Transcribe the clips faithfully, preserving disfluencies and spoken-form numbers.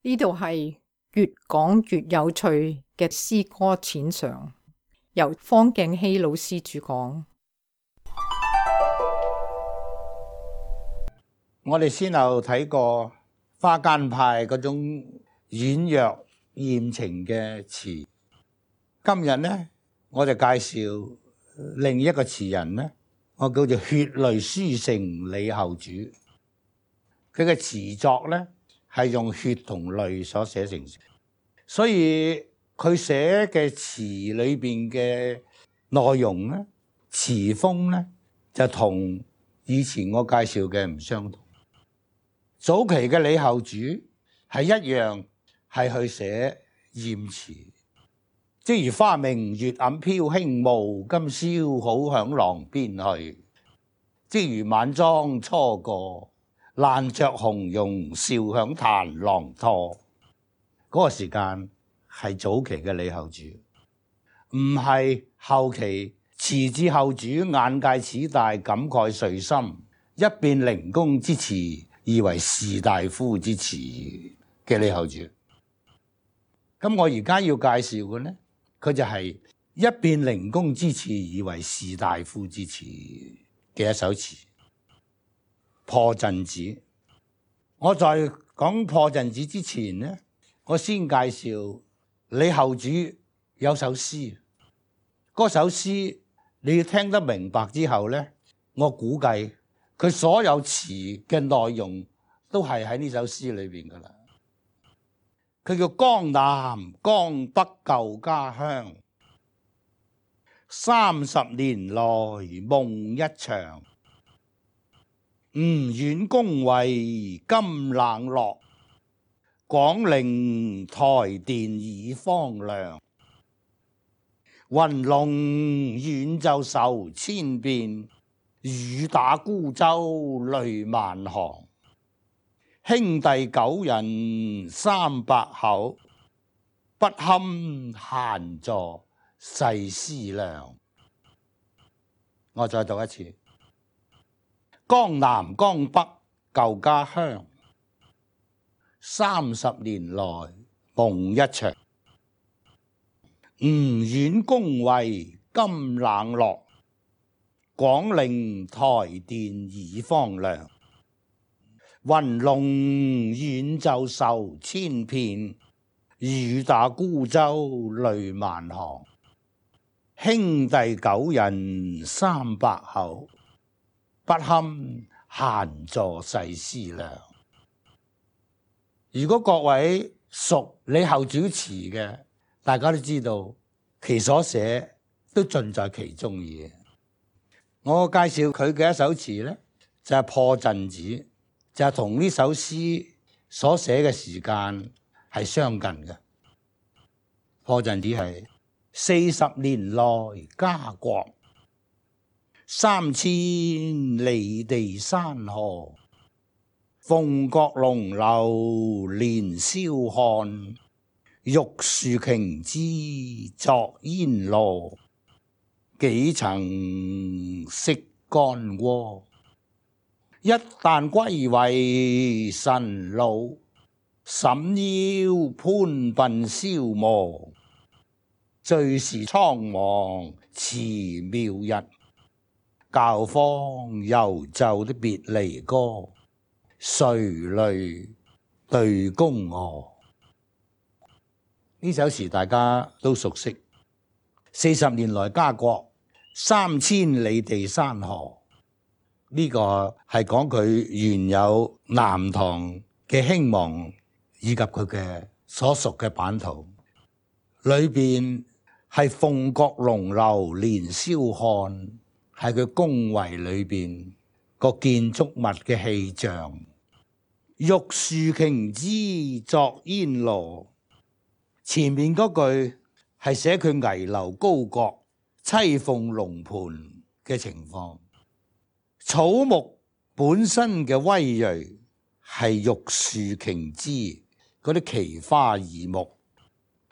呢度係越講越有趣嘅詩歌淺嘗，由方敬熙老師主講。我哋先後睇過花間派嗰種軟弱艷情嘅詞，今日呢，我就介紹另一個詞人呢，我叫做血淚書聖李後主。佢嘅詞作呢係用血同淚所寫成，所以佢寫嘅詞裏邊嘅內容呢，詞風呢就同以前我介紹嘅唔相同。早期嘅李後主係一樣係去寫艷詞，即如花明月暗飄輕霧，今宵好響廊邊去。即如晚妝初過，爛着紅容笑響彈廊拖。嗰、那個時間係早期嘅李後主，唔係後期詞至後主眼界始大，感慨遂深，一變靈公之詞以為士大夫之詞嘅李後主。咁我而家要介紹嘅呢，佢就係一變靈公之詞以為士大夫之詞嘅一首詞《破陣子》。我在講破陣子之前呢，我先介紹李後主有首詩。嗰首詩你要聽得明白之後呢，我估計佢所有詞嘅內容都係喺呢首詩裏邊噶啦。佢叫江南江北舊家鄉，三十年來夢一場。吳縣宮闈今冷落，廣陵台殿已荒涼。雲龍遠奏愁千遍，雨打孤舟淚萬行。兄弟九人三百口，不堪閒坐細思量。我再讀一次。江南江北舊家鄉，三十年來夢一場。吳縣宮闈今冷落，廣陵台殿已荒涼。雲龍遠奏愁千遍，雨打孤舟淚萬行。兄弟九人三百口，不堪閒坐細思量。如果各位熟李後主詞嘅，大家都知道其所寫都盡在其中意。我介紹佢嘅一首詞呢，就係、是、破陣子，就係同呢首詩所寫嘅時間係相近嘅。破陣子係四十年來家國，三千里地山河。鳳閣龍樓年宵看，玉樹瓊枝作煙羅。幾曾識干戈，一旦歸為臣虜。審腰潘鬢消磨，最是蒼茫辭廟日。教坊猶奏的別離歌，垂淚對宮娥。呢首詞大家都熟悉。四十年來家國，三千里地山河。呢、這個係講佢原有南唐嘅興亡，以及佢嘅所屬嘅版圖。裏邊係鳳閣龍樓年宵看，係佢宮闈裏邊個建築物嘅氣象。玉樹瓊枝作煙羅，前面嗰句係寫佢危樓高閣、棲鳳龍盤嘅情況。草木本身嘅威銳係玉樹瓊枝嗰啲奇花異木。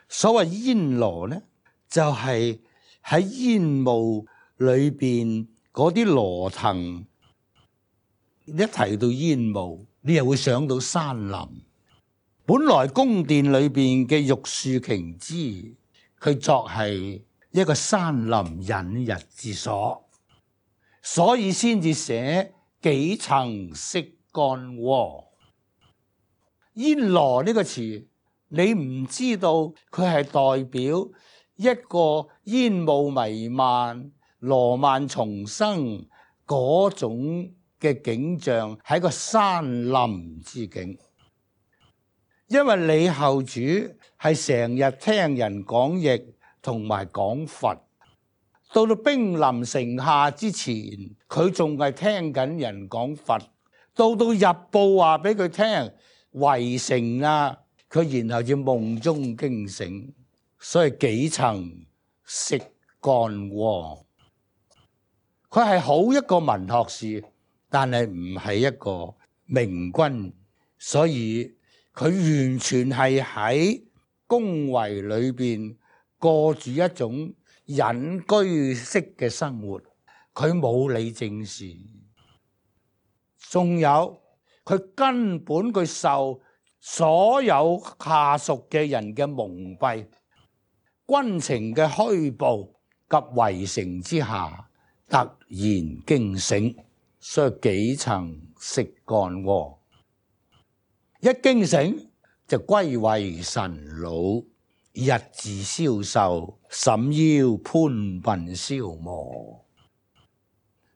所謂煙羅呢，就係、是、喺煙霧裏邊嗰啲羅藤。一提到煙霧，你又會想到山林。本來宮殿裏邊嘅玉樹瓊枝，佢作係一個山林隱逸之所，所以先至寫幾曾識干戈。煙羅呢個詞，你唔知道佢係代表一個煙霧彌漫、羅曼重生嗰種嘅景象，係一個山林之景。因為李後主係成日聽人講譯同埋講佛，到到兵臨城下之前，佢仲係聽緊人講佛。到到日報話俾佢聽圍城啦，佢然後要夢中驚醒，所以幾曾識干戈。佢係好一個文學士，但係唔係一個明君，所以佢完全係喺宮闈裏邊過住一種隱居式嘅生活，佢冇理政事。仲有佢根本佢受所有下屬嘅人嘅蒙蔽，軍情嘅虛報及圍城之下，突然驚醒，所以幾曾識干戈。一驚醒就歸為神老，日自消瘦，沈腰潘鬢消磨。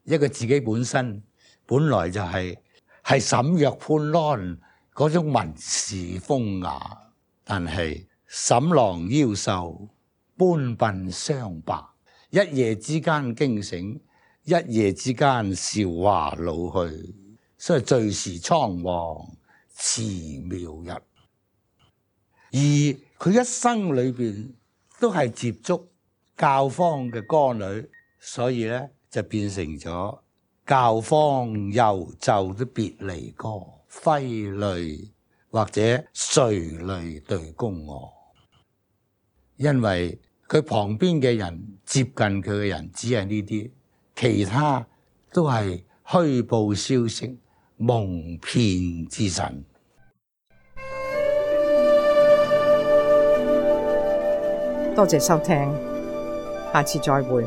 一個自己本身本來就係係沈約潘安嗰種文士風雅，但係沈郎腰瘦，潘鬢霜白，一夜之間驚醒，一夜之間韶華老去，所以最是蒼黃辭苗日。而佢一生裏邊都係接觸教坊嘅歌女，所以咧就變成咗教坊遊奏的別離歌，揮淚或者垂淚對宮娥。因為佢旁邊嘅人接近佢嘅人只係呢啲，其他都係虛報消息、蒙騙之神。多謝收聽，下次再會。